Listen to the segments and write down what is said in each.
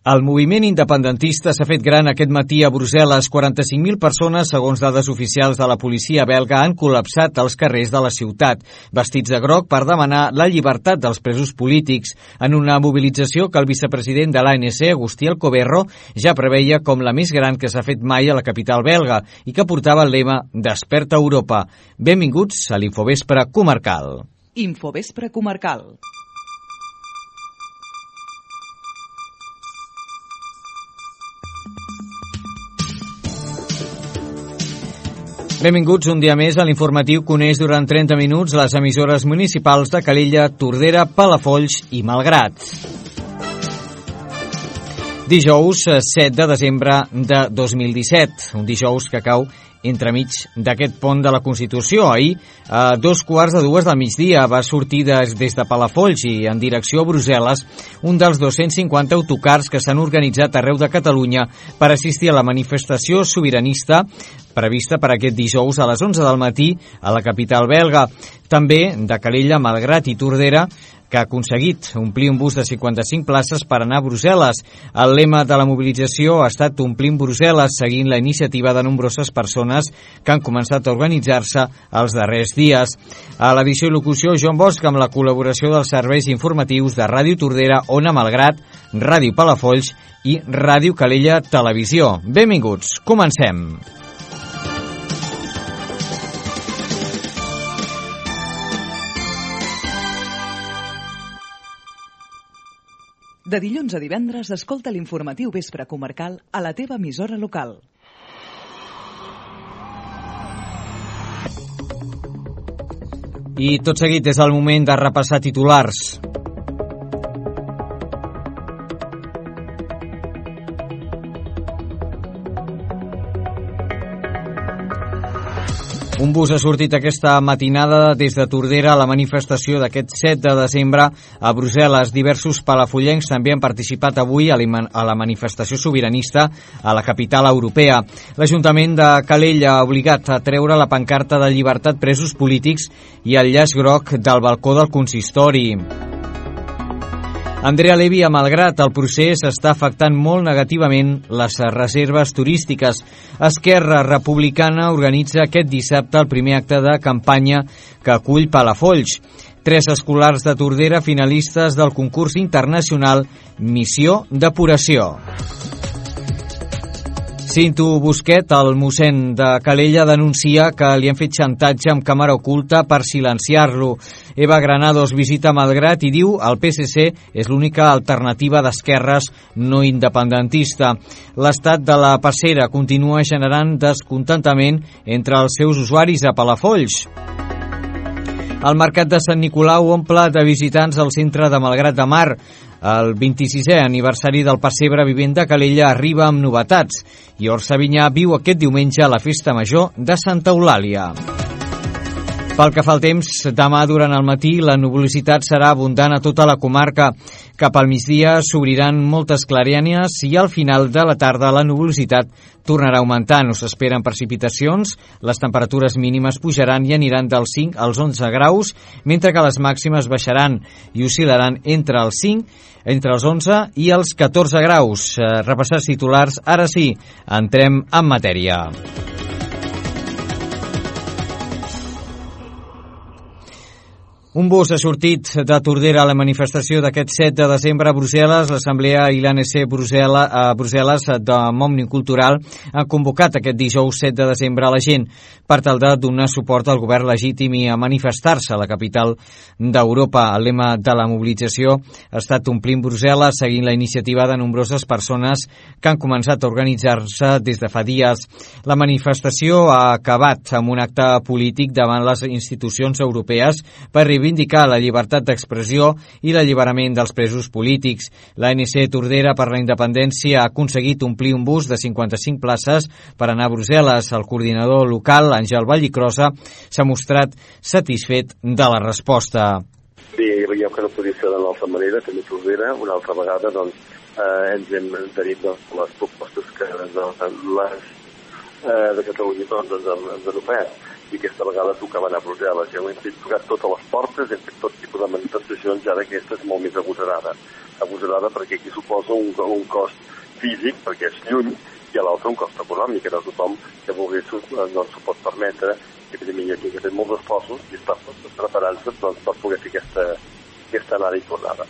El moviment independentista s'ha fet gran aquest matí a Brussel·les. 45.000 persones, segons dades oficials de la policia belga, han col·lapsat als carrers de la ciutat, vestits de groc per demanar la llibertat dels presos polítics, en una mobilització que el vicepresident de l'ANC, Agustí Alcoberro, ja preveia com la més gran que s'ha fet mai a la capital belga i que portava el lema Desperta Europa. Benvinguts a l'Infovespre Comarcal. Infovespre Comarcal. Benvinguts un dia més a l'informatiu que uneix durant 30 minuts les emissores municipals de Calella, Tordera, Palafolls i Malgrat. Dijous 7 de desembre de 2017, un dijous que cau entremig d'aquest pont de la Constitució. Ahir, a 2:15 del migdia, va sortir des de Palafolls i en direcció a Brussel·les un dels 250 autocars que s'han organitzat arreu de Catalunya per assistir a la manifestació sobiranista prevista per aquest dijous a les 11 del matí a la capital belga. També de Calella, Malgrat i Tordera, que ha aconseguit omplir un bus de 55 places per anar a Brussel·les. El lema de la mobilització ha estat Omplint Brussel·les, seguint la iniciativa de nombroses persones que han començat a organitzar-se els darrers dies. A l'edició i locució, Joan Bosch, amb la col·laboració dels serveis informatius de Ràdio Tordera, Ona Malgrat, Ràdio Palafolls i Ràdio Calella Televisió. Benvinguts, comencem. De dilluns a divendres, escolta l'informatiu Vespre Comarcal a la teva emissora local. I tot seguit és el moment de repassar titulars. Un bus ha sortit aquesta matinada des de Tordera a la manifestació d'aquest 7 de desembre a Brussel·les. Diversos palafollencs també han participat avui a la manifestació sobiranista a la capital europea. L'Ajuntament de Calella ha obligat a treure la pancarta de llibertat presos polítics i el llaç groc del balcó del consistori. Andrea Levy, a Malgrat, el procés està afectant molt negativament les reserves turístiques. Esquerra Republicana organitza aquest dissabte el primer acte de campanya que acull Palafolls. 3 escolars de Tordera finalistes del concurs internacional Missió Depuració. Cinto Busquet, el mossèn de Calella, denuncia que li han fet xantatge amb càmera oculta per silenciar-lo. Eva Granados visita Malgrat i diu el PSC és l'única alternativa d'esquerres no independentista. L'estat de la passera continua generant descontentament entre els seus usuaris a Palafolls. El mercat de Sant Nicolau omple de visitants al centre de Malgrat de Mar. El 26è aniversari del Pessebre Vivent de Calella arriba amb novetats i Orsavinyà viu aquest diumenge a la Festa Major de Santa Eulàlia. Pel que fa al temps, demà durant el matí la nuvolositat serà abundant a tota la comarca. Cap al migdia s'obriran moltes clarianes i al final de la tarda la nuvolositat tornarà augmentant. No s'esperen precipitacions, les temperatures mínimes pujaran i aniran dels 5 als 11 graus, mentre que les màximes baixaran i oscil·laran entre els 11 i els 14 graus. Repassar titulars, ara sí, entrem en matèria. Un bus ha sortit de Tordera a la manifestació d'aquest 7 de desembre a Brussel·les. L'Assemblea i l'ANC a Brussel·les de Òmnium Cultural han convocat aquest dijous 7 de desembre a la gent per tal de donar suport al govern legítim i a manifestar-se a la capital d'Europa. El lema de la mobilització ha estat Omplint Brussel·les, seguint la iniciativa de nombroses persones que han començat a organitzar-se des de fa dies. La manifestació ha acabat amb un acte polític davant les institucions europees per reivindicar la llibertat d'expressió i l'alliberament dels presos polítics. L'ANC Tordera per la Independència ha aconseguit omplir un bus de 55 places per anar a Brussel·les. El coordinador local, Àngel Vallicrosa, s'ha mostrat satisfet de la resposta. Bé, veiem que no podia ser d'una altra manera, també Tordera, una altra vegada, ens hem adherit les propostes que les de Catalunya ens han ofert. i aquesta vegada tocava anar a Brussel·les. Ja ho hem fet tocar totes les portes, hem fet tot tipus de manifestacions, i ara aquesta és molt més agosarada perquè aquí suposa un cost físic, perquè és lluny, i a l'altre un cost econòmic, que no tothom que volgués doncs, s'ho pot permetre, i evidentment aquí que ha fet molts esforços i està preparant-se doncs, per poder fer aquesta anada i tornada.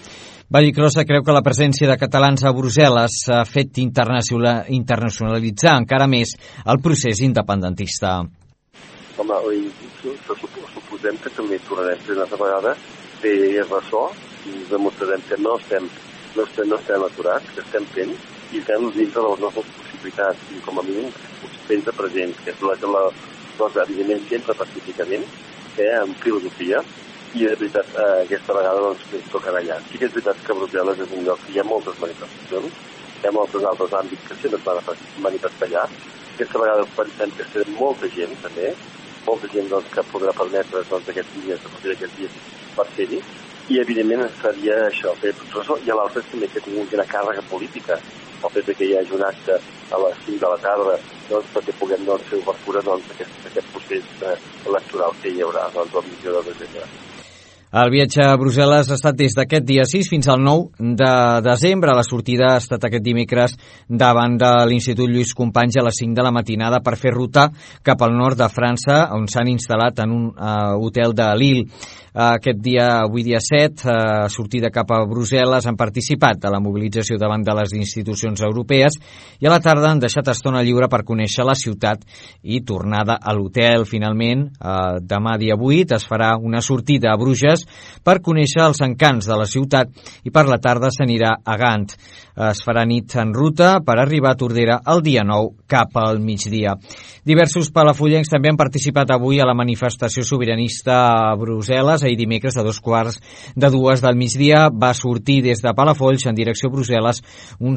Vallicrosa creu que la presència de catalans a Brussel·les ha fet internacionalitzar encara més el procés independentista. Home, suposem que també tornarem a fer una altra vegada fer ressò i ens demostrarem que no estem aturats, que estem fent i fem dintre de les nostres possibilitats i com a mínim fent-se presents, que és la cosa, evidentment, sempre pacíficament, amb filosofia, i de veritat aquesta vegada doncs ens tocarà allà. Sí que és veritat que Brussel·les és un lloc que hi ha moltes manifestacions, hi ha molts altres àmbits que sempre es van manifestar allà. Aquesta vegada pensem que serà molta gent també, molta gent doncs, que podrà permetre doncs, aquests dies per ser-hi, i evidentment seria això, fer ressò, i a l'altre també que tingui una càrrega política, el fet que hi hagi un acte a les 5 de la tarda doncs, perquè puguem fer obertura d'aquest procés electoral que hi haurà el 22 de desembre. El viatge a Brussel·les ha estat des d'aquest dia 6 fins al 9 de desembre. La sortida ha estat aquest dimecres davant de l'Institut Lluís Companys a les 5 de la matinada per fer ruta cap al nord de França, on s'han instal·lat en un hotel de Lille. Aquest dia, avui dia 7, sortida cap a Brussel·les, han participat de la mobilització davant de les institucions europees i a la tarda han deixat estona lliure per conèixer la ciutat i tornada a l'hotel. Finalment, demà dia 8 es farà una sortida a Bruges per conèixer els encants de la ciutat i per la tarda s'anirà a Gant. Es farà nit en ruta per arribar a Tordera el dia 9 cap al migdia. Diversos palafollencs també han participat avui a la manifestació sobiranista a Brussel·les. Ahir dimecres a 2:45 del migdia va sortir des de Palafolls en direcció a Brussel·les un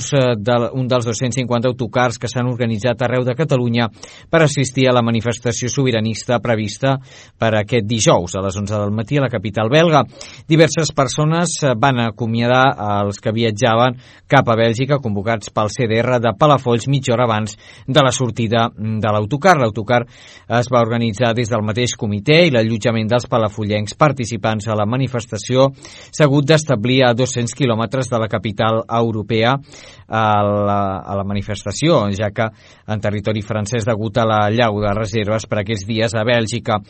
dels 250 autocars que s'han organitzat arreu de Catalunya per assistir a la manifestació sobiranista prevista per aquest dijous a les 11 del matí a la capital belga. Diverses persones van acomiadar els que viatjaven cap a Bèlgica convocats pel CDR de Palafolls mitja hora abans de la sortida de l'autocar. L'autocar es va organitzar des del mateix comitè i l'allotjament dels palafollencs participants a la manifestació s'ha hagut d'establir a 200 quilòmetres de la capital europea a la manifestació, ja que en territori francès degut a la llau de reserves per aquests dies a Bèlgica.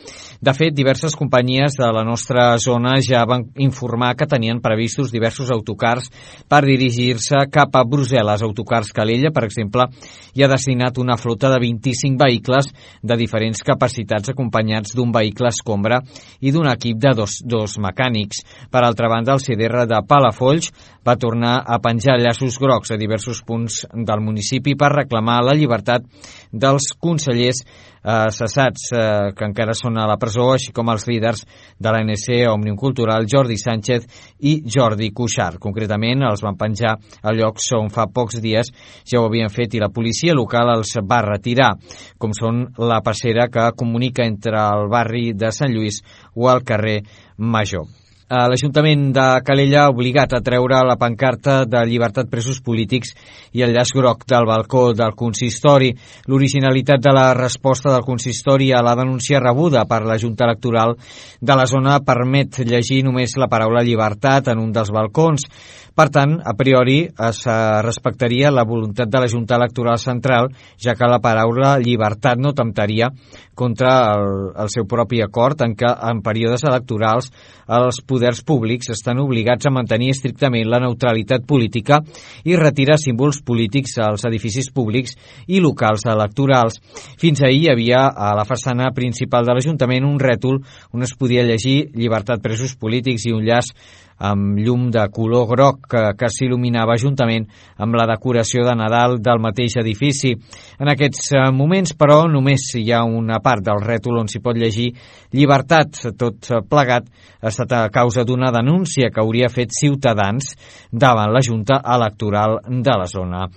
De fet, diverses companyies de la nostra zona ja van informar que tenien previstos diversos autocars per dirigir-se cap a Brussel·les. Autocars Calella, per exemple, hi ha destinat una flota de 25 vehicles de diferents capacitats acompanyats d'un vehicle escombra i d'un equip de dos mecànics. Per altra banda, el CDR de Palafolls va tornar a penjar llaços grocs a diversos punts del municipi per reclamar la llibertat dels consellers cessats que encara són a la presó, així com els líders de l'ANC, Òmnium Cultural, Jordi Sánchez i Jordi Cuixart. Concretament, els van penjar a llocs on fa pocs dies ja ho havien fet i la policia local els va retirar, com són la passera que comunica entre el barri de Sant Lluís o el carrer Major. L'Ajuntament de Calella ha obligat a treure la pancarta de llibertat presos polítics i el llaç groc del balcó del consistori. L'originalitat de la resposta del consistori a la denúncia rebuda per la Junta Electoral de la zona permet llegir només la paraula llibertat en un dels balcons. Per tant, a priori es respectaria la voluntat de la Junta Electoral Central, ja que la paraula llibertat no temptaria contra el seu propi acord en què en períodes electorals els poders públics estan obligats a mantenir estrictament la neutralitat política i retirar símbols polítics als edificis públics i locals electorals. Fins ahir hi havia a la façana principal de l'Ajuntament un rètol on es podia llegir llibertat presos polítics i un llaç amb llum de color groc que s'il·luminava juntament amb la decoració de Nadal del mateix edifici. En aquests moments, però, només hi ha una part del rètol on s'hi pot llegir llibertat. Tot plegat ha estat a causa d'una denúncia que hauria fet Ciutadans davant la Junta Electoral de la zona.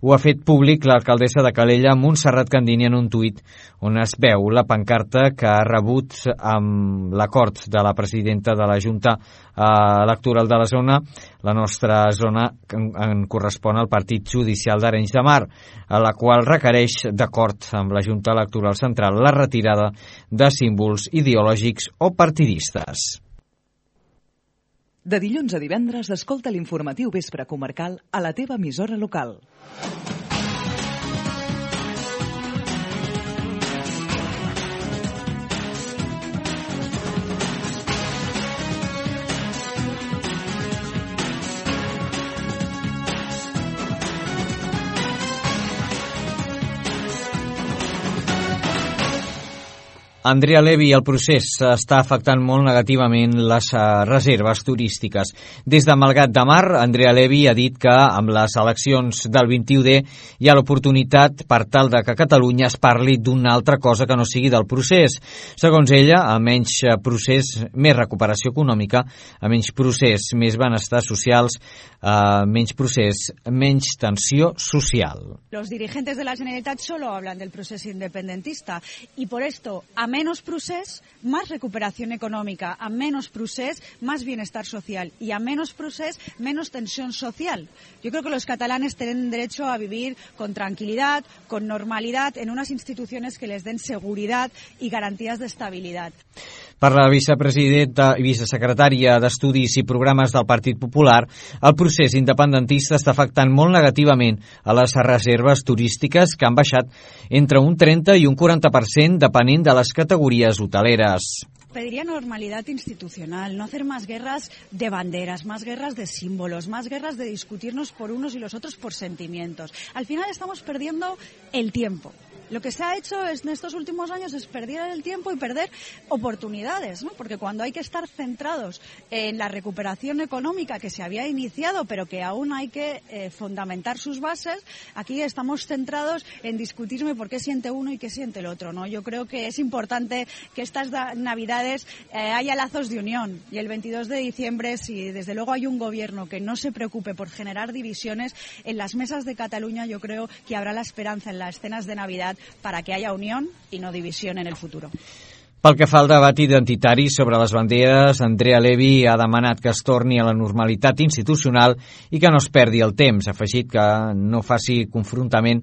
Ho ha fet públic l'alcaldessa de Calella, Montserrat Candini, en un tuit on es veu la pancarta que ha rebut amb l'acord de la presidenta de la Junta electoral electoral de la zona, la nostra zona en correspon al Partit Judicial d'Arenys de Mar, a la qual requereix, d'acord amb la Junta Electoral Central, la retirada de símbols ideològics o partidistes. De dilluns a divendres, escolta l'informatiu Vespre Comarcal a la teva emissora local. Andrea Levy, el procés està afectant molt negativament les reserves turístiques. Des de Malgrat de Mar, Andrea Levy ha dit que amb les eleccions del 21D hi ha l'oportunitat per tal de que a Catalunya es parli d'una altra cosa que no sigui del procés. Segons ella, a menys procés, més recuperació econòmica, a menys procés, més benestar socials, menys procés, menys tensió social. Los dirigentes de la Generalitat solo hablan del proceso independentista y por esto, a menos procés, más recuperación económica, a menos procés, más bienestar social y a menos procés, menos tensión social. Yo creo que los catalanes tienen derecho a vivir con tranquilidad, con normalidad, en unas instituciones que les den seguridad y garantías de estabilidad. Per la vicepresidenta i vicesecretària d'Estudis i Programes del Partit Popular, el procés independentista està afectant molt negativament a les reserves turístiques que han baixat entre un 30 i un 40% depenent de les categories hoteleres. Pediría normalidad institucional, no hacer más guerras de banderas, más guerras de símbolos, más guerras de discutirnos por unos y los otros por sentimientos. Al final estamos perdiendo el tiempo. Lo que se ha hecho en estos últimos años es perder el tiempo y perder oportunidades, ¿no? Porque cuando hay que estar centrados en la recuperación económica que se había iniciado, pero que aún hay que fundamentar sus bases, aquí estamos centrados en discutirme por qué siente uno y qué siente el otro, ¿no? Yo creo que es importante que estas Navidades haya lazos de unión y el 22 de diciembre, si desde luego hay un gobierno que no se preocupe por generar divisiones, en las mesas de Cataluña yo creo que habrá la esperanza en las cenas de Navidad para que haya unión y no división en el futuro. Pel que fa al debat identitari sobre les banderes, Andrea Levy ha demanat que es torni a la normalitat institucional i que no es perdi el temps, afegit que no faci confrontament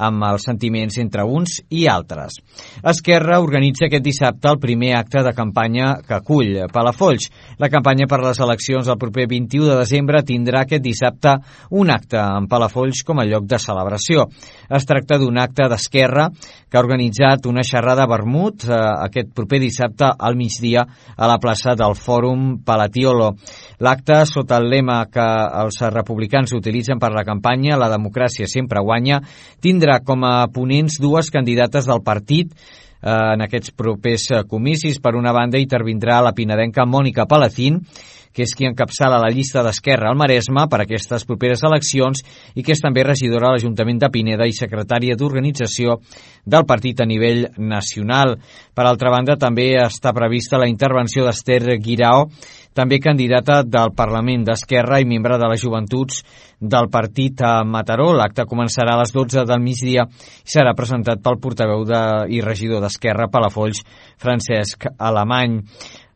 amb els sentiments entre uns i altres. Esquerra organitza aquest dissabte el primer acte de campanya que acull Palafolls. La campanya per les eleccions del proper 21 de desembre tindrà aquest dissabte un acte en Palafolls com a lloc de celebració. Es tracta d'un acte d'Esquerra que ha organitzat una xerrada vermut aquest proper dissabte al migdia a la plaça del Fòrum Palatiolo. L'acte, sota el lema que els republicans utilitzen per la campanya «La democràcia sempre guanya», tindrà com a ponents dues candidates del partit en aquests propers comicis. Per una banda, intervindrà la pinedenca Mònica Palacín, que és qui encapçala la llista d'Esquerra al Maresme per aquestes properes eleccions i que és també regidora a l'Ajuntament de Pineda i secretària d'organització del partit a nivell nacional. Per altra banda, també està prevista la intervenció d'Esther Guirao, també candidata del Parlament d'Esquerra i membre de les joventuts del partit a Mataró. L'acte començarà a les 12 del migdia i serà presentat pel portaveu i regidor d'Esquerra a Palafolls, Francesc Alemany.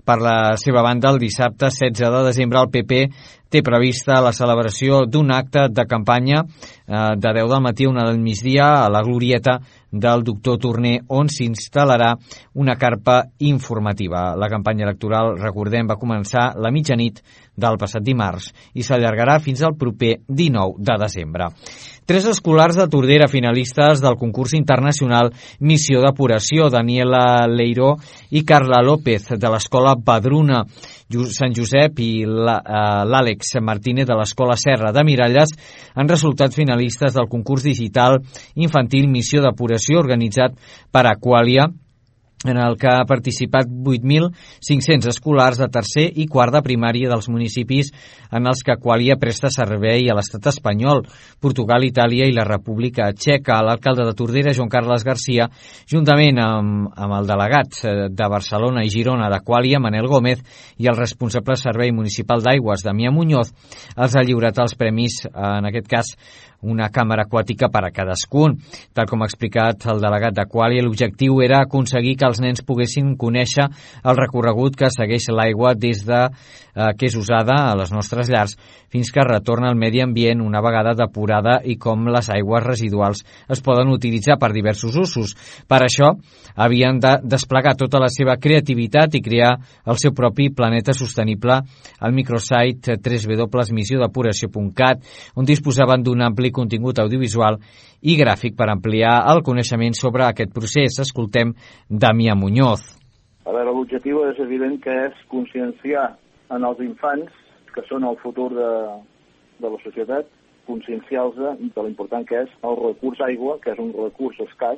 Per la seva banda, el dissabte 16 de desembre el PP té prevista la celebració d'un acte de campanya de 10 del matí a 1 del migdia a la glorieta del doctor Torner, on s'instal·larà una carpa informativa. La campanya electoral, recordem, va començar la mitjanit del passat dimarts i s'allargarà fins al proper 19 de desembre. 3 escolars de Tordera finalistes del concurs internacional Missió Depuració, Daniela Leiró i Carla López, de l'escola Badruna Sant Josep, i l'Àlex Martínez de l'escola Serra de Miralles han resultat finalistes del concurs digital infantil Missió Depuració organitzat per Aqualia, en el que ha participat 8.500 escolars de tercer i quart de primària dels municipis en els que Aqualia presta servei a l'estat espanyol, Portugal, Itàlia i la República Txeca. L'alcalde de Tordera, Joan Carles Garcia, juntament amb el delegat de Barcelona i Girona d'Aqualia, Manel Gómez, i el responsable servei municipal d'aigües, Damià Muñoz, els ha lliurat els premis, en aquest cas, una càmera aquàtica per a cadascun. Tal com ha explicat el delegat d'Aquàlia, l'objectiu era aconseguir que els nens poguessin conèixer el recorregut que segueix l'aigua des de que és usada a les nostres llars fins que retorna al medi ambient una vegada depurada i com les aigües residuals es poden utilitzar per diversos usos. Per això, havien de desplegar tota la seva creativitat i crear el seu propi planeta sostenible al microsite www.missiodepuració.cat, on disposaven d'un ampli contingut audiovisual i gràfic per ampliar el coneixement sobre aquest procés. Escoltem Damià Muñoz. A veure, l'objectiu és evident que és conscienciar en els infants, que són el futur de la societat, conscienciar-los de l'important que és el recurs aigua, que és un recurs escàs,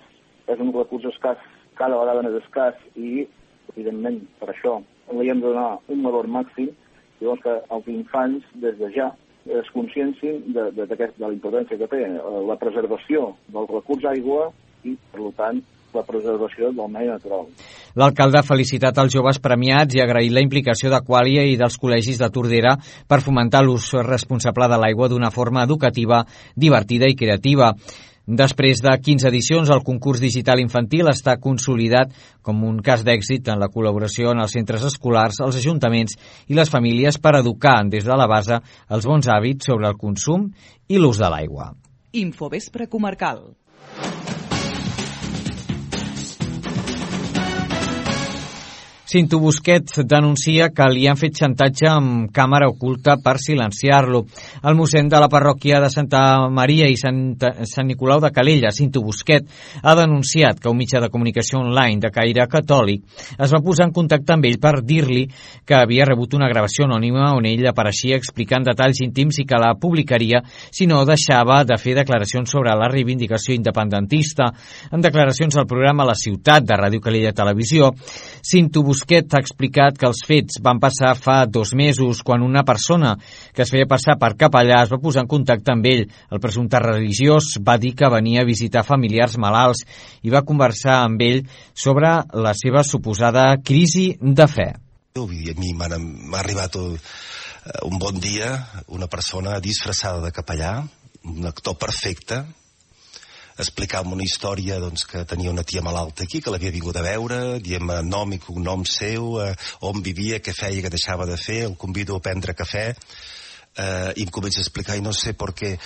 cada vegada més escàs i, evidentment, per això li hem de donar un valor màxim, llavors que els infants, des de ja, es consciencin de la importància que té la preservació del recurs aigua i, per tant, la preservació del medi natural. L'alcalde ha felicitat els joves premiats i ha agraït la implicació d'Aquàlia i dels col·legis de Tordera per fomentar l'ús responsable de l'aigua d'una forma educativa, divertida i creativa. Després de 15 edicions, el concurs digital infantil està consolidat com un cas d'èxit en la col·laboració en els centres escolars, els ajuntaments i les famílies per educar des de la base els bons hàbits sobre el consum i l'ús de l'aigua. Infovespre comarcal. Cinto Busquets denuncia que li han fet xantatge amb càmera oculta per silenciar-lo. El mossèn de la parròquia de Santa Maria i Sant Nicolau de Calella, Cinto Busquets, ha denunciat que un mitjà de comunicació online de caire catòlic es va posar en contacte amb ell per dir-li que havia rebut una gravació anònima on ell apareixia explicant detalls íntims i que la publicaria si no deixava de fer declaracions sobre la reivindicació independentista. En declaracions al programa La Ciutat de Ràdio Calella Televisió, Cinto Busquets ha explicat que els fets van passar fa 2 mesos, quan una persona que es feia passar per capellà es va posar en contacte amb ell. El presumpte religiós va dir que venia a visitar familiars malalts i va conversar amb ell sobre la seva suposada crisi de fe. A mi m'ha arribat un bon dia una persona disfressada de capellà, un actor perfecte, explicava una història que tenia una tia malalta aquí, que l'havia vingut a veure, diem nom i cognom seu, on vivia, què feia, què deixava de fer, el convido a prendre cafè, i em comença a explicar, y no sé por qué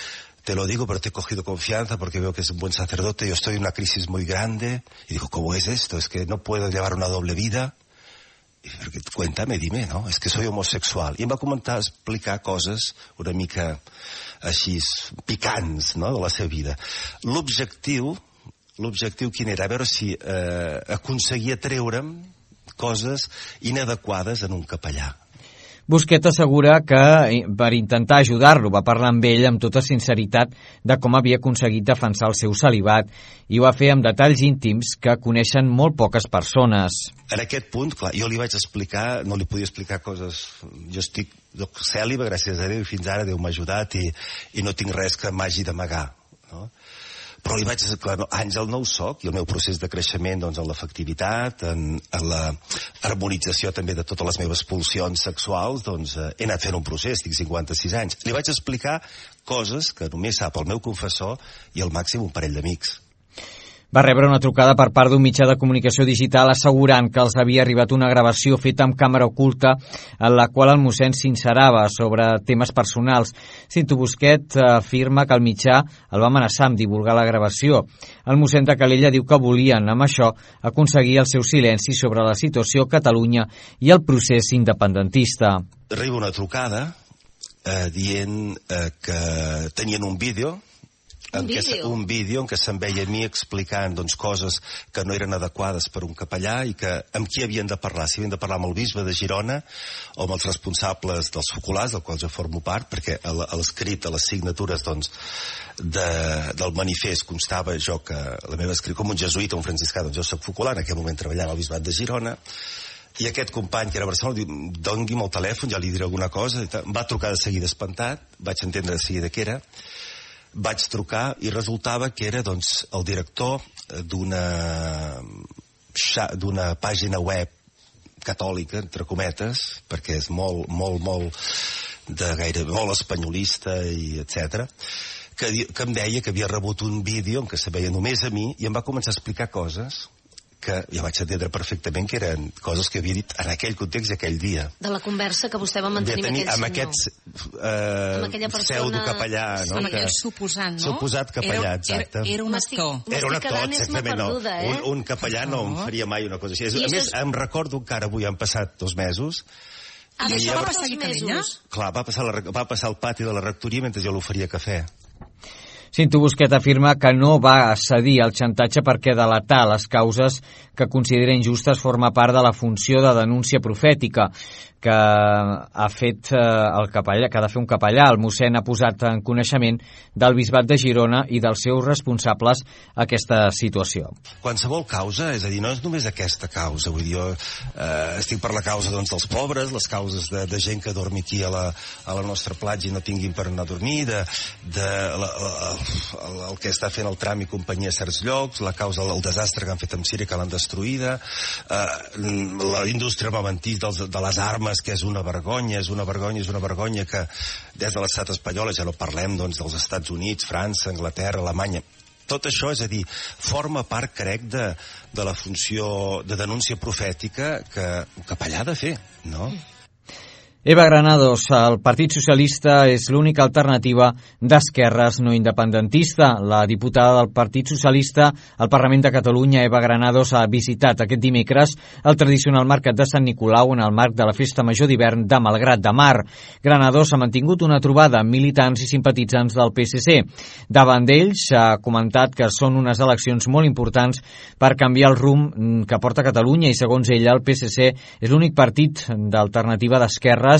te lo digo, pero te he cogido confianza porque veo que es un buen sacerdote, yo estoy en una crisis muy grande, y digo, ¿cómo es esto? Es que no puedo llevar una doble vida. I cuéntame, dime, no? És que soy homosexual. I em va començar a explicar coses una mica així picants, no?, de la seva vida. L'objectiu quin era? A veure si aconseguia treure'm coses inadequades en un capellà. Busquets assegura que per intentar ajudar-lo va parlar amb ell amb tota sinceritat de com havia aconseguit defensar el seu celibat i ho va fer amb detalls íntims que coneixen molt poques persones. En aquest punt, clar, jo li vaig explicar, no li podia explicar coses... Jo estic cèlibe, gràcies a Déu, i fins ara Déu m'ha ajudat i no tinc res que m'hagi d'amagar, no? Però li vaig dir, clar, no, Àngel no ho soc, i el meu procés de creixement en l'afectivitat, en la harmonització també de totes les meves pulsions sexuals, he anat fent un procés, tinc 56 anys. Li vaig explicar coses que només sap el meu confessor i al màxim un parell d'amics. Va rebre una trucada per part d'un mitjà de comunicació digital assegurant que els havia arribat una gravació feta amb càmera oculta en la qual el mossèn s'inserava sobre temes personals. Cinto Busquets afirma que el mitjà el va amenaçar amb divulgar la gravació. El mossèn de Calella diu que volien, amb això, aconseguir el seu silenci sobre la situació a Catalunya i el procés independentista. Arriba una trucada dient que tenien un vídeo, un vídeo en què se'n veia a mi explicant coses que no eren adequades per un capellà i que amb qui havien de parlar, si havien de parlar amb el bisbe de Girona o amb els responsables dels focolars, del qual jo formo part, perquè a l'escrit, a les signatures del manifest constava jo que la meva escrit com un jesuïta, un franciscà, jo soc focolar, en aquell moment treballant al bisbat de Girona, i aquest company que era a Barcelona diu, doni'm el telèfon, ja li diré alguna cosa, em va trucar de seguida espantat, vaig entendre de seguida què era. Vaig trucar i resultava que era el director d'una pàgina web catòlica, entre cometes, perquè és molt espanyolista i etc., que em deia que havia rebut un vídeo en què se veia només a mi i em va començar a explicar coses que ja vaig entendre perfectament que eren coses que havia dit en aquell context i aquell dia. De la conversa que vostè va mantenir amb aquell senyor. Amb aquest pseudo-capellà, no? Amb aquell suposant, no? Suposat capellà, exacte. Era un actor. Era un actor, exactament, no. Un capellà no em faria mai una cosa així. A més, em recordo que ara avui han passat 2 mesos. I això va passar aquí a Calella? Clar, va passar al pati de la rectoria mentre jo l'oferia cafè. Cinto Busquet afirma que no va cedir al xantatge perquè delatar les causes que considera injustes forma part de la funció de denúncia profètica que ha fet el capellà, que ha de fer un capellà. El mossèn ha posat en coneixement del bisbat de Girona i dels seus responsables aquesta situació. Qualsevol causa, és a dir, no és només aquesta causa, vull dir, jo estic per la causa doncs, dels pobres, les causes de gent que dormi aquí a la nostra platja i no tinguin per anar a dormir, el que està fent el tram i companyia a certs llocs, la causa del desastre que han fet amb Síria, que l'han destruïda, la indústria armamentil de les armes, que és una vergonya que des de l'estat espanyol, ja no parlem doncs, dels Estats Units, França, Anglaterra, Alemanya, tot això, és a dir, forma part, crec, de la funció de denúncia profètica que un capellà ha de fer, no? Eva Granados, el Partit Socialista és l'única alternativa d'esquerres no independentista. La diputada del Partit Socialista al Parlament de Catalunya, Eva Granados, ha visitat aquest dimecres el tradicional mercat de Sant Nicolau en el marc de la Festa Major d'hivern de Malgrat de Mar. Granados ha mantingut una trobada amb militants i simpatitzants del PSC. Davant d'ells ha comentat que són unes eleccions molt importants per canviar el rumb que porta Catalunya i, segons ella, el PSC és l'únic partit d'alternativa d'esquerra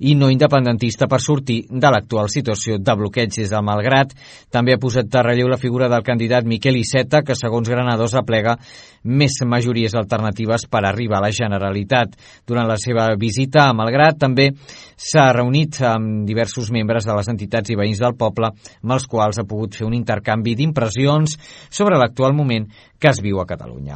i no independentista per sortir de l'actual situació de bloqueig des del Malgrat. També ha posat de relleu la figura del candidat Miquel Iceta, que segons Granados aplega més majories alternatives per arribar a la Generalitat. Durant la seva visita a Malgrat també s'ha reunit amb diversos membres de les entitats i veïns del poble, amb els quals ha pogut fer un intercanvi d'impressions sobre l'actual moment que es viu a Catalunya.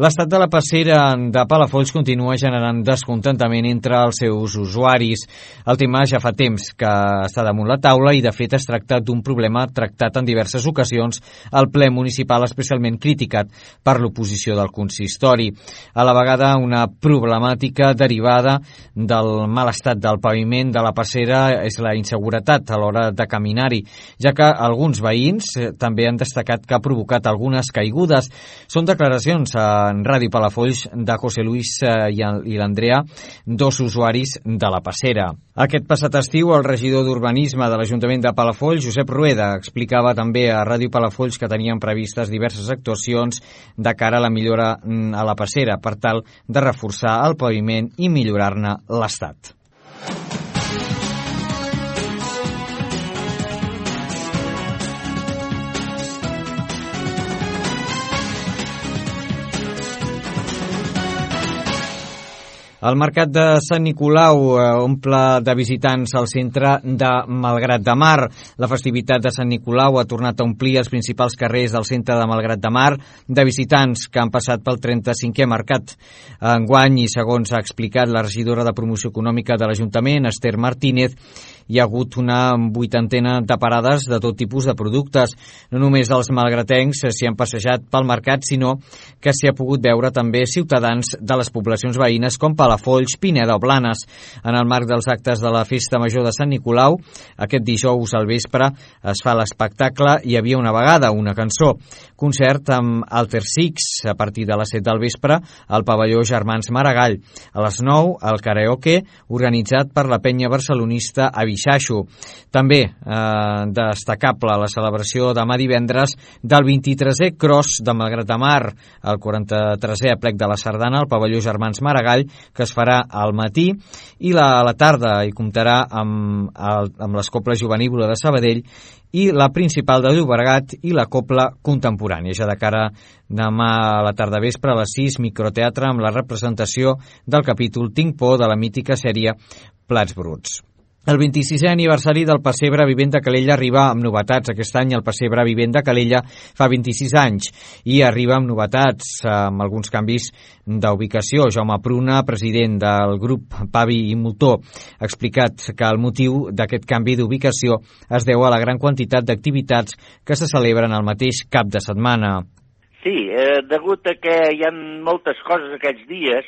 L'estat de la passera de Palafolls continua generant descontentament entre els seus usuaris. El tema ja fa temps que està damunt la taula i, de fet, es tracta d'un problema tractat en diverses ocasions al ple municipal, especialment criticat per l'oposició del consistori. A la vegada, una problemàtica derivada del mal estat del paviment de la passera és la inseguretat a l'hora de caminar-hi, ja que alguns veïns també han destacat que ha provocat algunes caigudes. Són declaracions en Ràdio Palafolls de José Luis i l'Andrea, 2 usuaris de la passera. Aquest passat estiu, el regidor d'Urbanisme de l'Ajuntament de Palafolls, Josep Rueda, explicava també a Ràdio Palafolls que tenien previstes diverses actuacions de cara a la millora a la passera per tal de reforçar el paviment i millorar-ne l'estat. El mercat de Sant Nicolau omple de visitants al centre de Malgrat de Mar. La festivitat de Sant Nicolau ha tornat a omplir els principals carrers del centre de Malgrat de Mar de visitants que han passat pel 35è mercat. Enguany, i segons ha explicat la regidora de Promoció Econòmica de l'Ajuntament, Esther Martínez, hi ha hagut una 80 de parades de tot tipus de productes. No només els malgratencs s'hi han passejat pel mercat, sinó que s'hi ha pogut veure també ciutadans de les poblacions veïnes com Palafolls, Pineda o Blanes. En el marc dels actes de la Festa Major de Sant Nicolau, aquest dijous al vespre es fa l'espectacle Hi havia una vegada, una cançó. Concert amb Alter Six a partir de les 7 del vespre al pavelló Germans Maragall. A les 9, el karaoke, organitzat per la penya barcelonista Avixaixo. També destacable la celebració demà divendres del 23è Cross de Malgrat de Mar, el 43è aplec de la Sardana al pavelló Germans Maragall, que es farà al matí, i a la tarda hi comptarà amb les Coples Juvenívola de Sabadell i la Principal de Llobregat i la Copla Contemporània. Ja de cara demà a la tarda vespre a les 6, microteatre amb la representació del capítol Tinc por de la mítica sèrie Plats Bruts. El 26è aniversari del Pessebre Vivent de Calella arriba amb novetats. Aquest any el Pessebre Vivent de Calella fa 26 anys i arriba amb novetats, amb alguns canvis d'ubicació. Jaume Pruna, president del grup Pavi i Moltó, ha explicat que el motiu d'aquest canvi d'ubicació es deu a la gran quantitat d'activitats que se celebren al mateix cap de setmana. Sí, degut a que hi ha moltes coses aquests dies,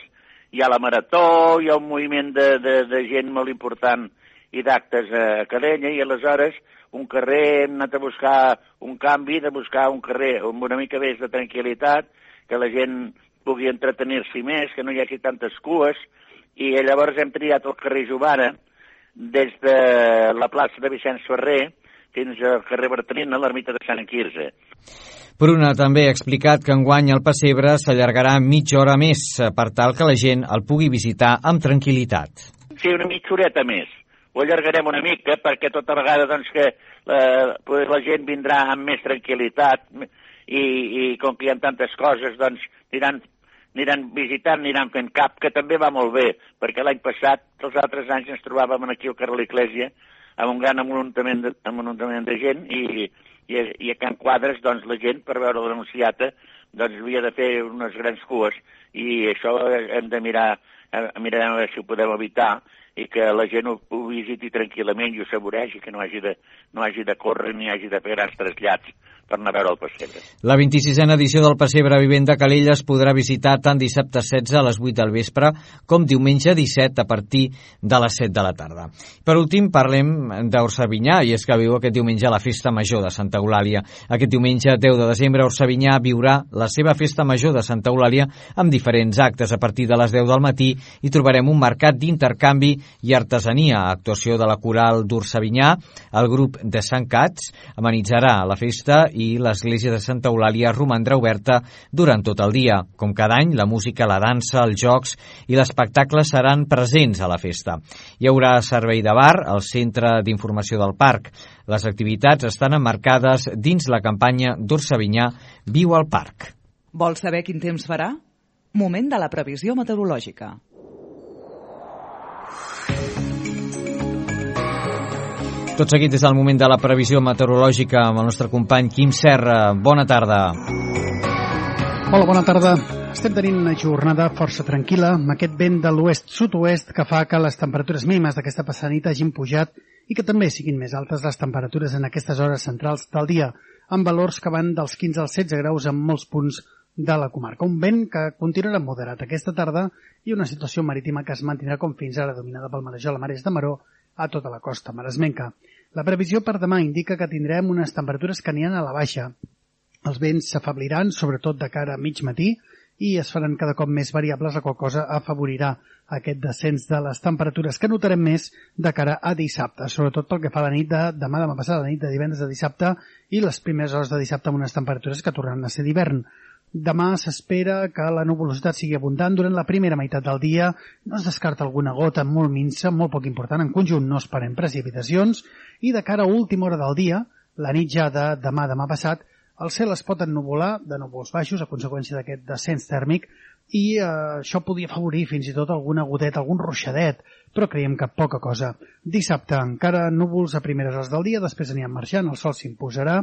hi ha la marató, hi ha un moviment de gent molt important i d'actes a Calella, i aleshores un carrer, hem anat a buscar un canvi, de buscar un carrer amb una mica més de tranquil·litat, que la gent pugui entretenir-s'hi més, que no hi hagi tantes cues, i llavors hem triat el carrer Jovara, des de la plaça de Vicenç Ferrer fins al carrer Bertrina, a l'ermita de Sant Quirze. Pruna també ha explicat que enguany el Pessebre s'allargarà mitja hora més per tal que la gent el pugui visitar amb tranquil·litat. Sí, una mitja horeta més. Ho allargarem una mica perquè tota vegada doncs, que la gent vindrà amb més tranquil·litat i com que hi ha tantes coses doncs aniran visitant, aniran fent cap, que també va molt bé, perquè l'any passat, els altres anys ens trobàvem aquí al carrer l'Església amb un gran amuntament de gent i a Can Quadres doncs, la gent per veure l'anunciata doncs, havia de fer unes grans cues i això hem de mirar a veure si ho podem evitar i que la gent ho visiti tranquil·lament i ho saboregi, que no hagi de córrer ni hagi de fer grans trasllats per anar a veure el Pessebre. La 26a edició del Pessebre Vivent de Calella es podrà visitar tant dissabte 16 a les 8 del vespre com diumenge 17 a partir de les 7 de la tarda. Per últim, parlem d'Orsavinyà, i és que viu aquest diumenge la Festa Major de Santa Eulàlia. Aquest diumenge 10 de desembre, Orsavinyà viurà la seva Festa Major de Santa Eulàlia amb diferents actes. A partir de les 10 del matí hi trobarem un mercat d'intercanvi i artesania. Actuació de la Coral d'Orsavinyà, el grup de Sant Cats amenitzarà la festa i l'església de Santa Eulàlia romandrà oberta durant tot el dia. Com cada any, la música, la dansa, els jocs i l'espectacle seran presents a la festa. Hi haurà servei de bar al centre d'informació del parc. Les activitats estan emmarcades dins la campanya d'Orsavinyà Viu al Parc. Vols saber quin temps farà? Moment de la previsió meteorològica. Tot seguit és el moment de la previsió meteorològica amb el nostre company Quim Serra. Bona tarda. Hola, bona tarda. Estem tenint una jornada força tranquil·la amb aquest vent de l'oest-sud-oest que fa que les temperatures mínimes d'aquesta passada nit hagin pujat i que també siguin més altes les temperatures en aquestes hores centrals del dia, amb valors que van dels 15 als 16 graus en molts punts de la comarca. Un vent que continuarà moderat aquesta tarda i una situació marítima que es mantindrà com fins ara dominada pel marejol a Mares de Maró a tota la costa maresmenca. La previsió per demà indica que tindrem unes temperatures que aniran a la baixa. Els vents s'afebliran, sobretot de cara a mig matí, i es faran cada cop més variables, la qual cosa afavorirà aquest descens de les temperatures que notarem més de cara a dissabte, sobretot pel que fa a la nit de demà passada, la nit de divendres a dissabte i les primeres hores de dissabte amb unes temperatures que tornaran a ser d'hivern. Demà s'espera que la nuvolositat sigui abundant durant la primera meitat del dia. No es descarta alguna gota molt minsa, molt poc important. En conjunt no esperem precipitacions. I de cara a última hora del dia, la nit ja de demà passat, el cel es pot ennuvolar de núvols baixos a conseqüència d'aquest descens tèrmic i això podria afavorir fins i tot alguna goteta, algun ruixadet, però creiem que poca cosa. Dissabte encara núvols a primeres hores del dia, després aniran marxant, el sol s'imposarà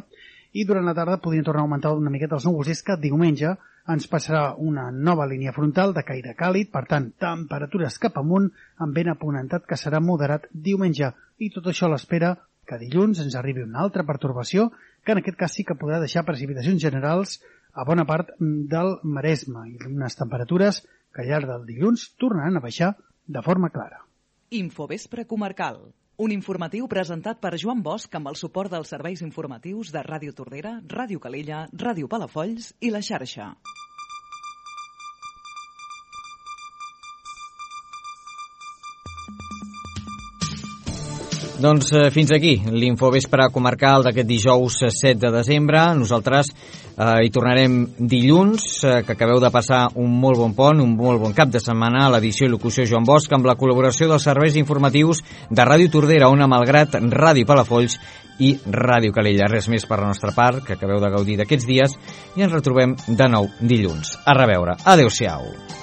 i durant la tarda podrien tornar a augmentar una miqueta els núvols. És que diumenge ens passarà una nova línia frontal de caire càlid, per tant, temperatures cap amunt, amb vent aponentat que serà moderat diumenge. I tot això a l'espera que dilluns ens arribi una altra pertorbació, que en aquest cas sí que podrà deixar precipitacions generals a bona part del Maresme i unes temperatures que al llarg del dilluns tornaran a baixar de forma clara. Infovespre comarcal. Un informatiu presentat per Joan Bosch amb el suport dels serveis informatius de Ràdio Tordera, Ràdio Calella, Ràdio Palafolls i La Xarxa. Doncs fins aquí l'Infovespre comarcal d'aquest dijous 7 de desembre. Nosaltres hi tornarem dilluns, que acabeu de passar un molt bon pont, un molt bon cap de setmana a l'edició i locució Joan Bosch, amb la col·laboració dels serveis informatius de Ràdio Tordera, Ona Malgrat, Ràdio Palafolls i Ràdio Calella. Res més per la nostra part, que acabeu de gaudir d'aquests dies, i ens retrobem de nou dilluns. A reveure. Adéu-siau.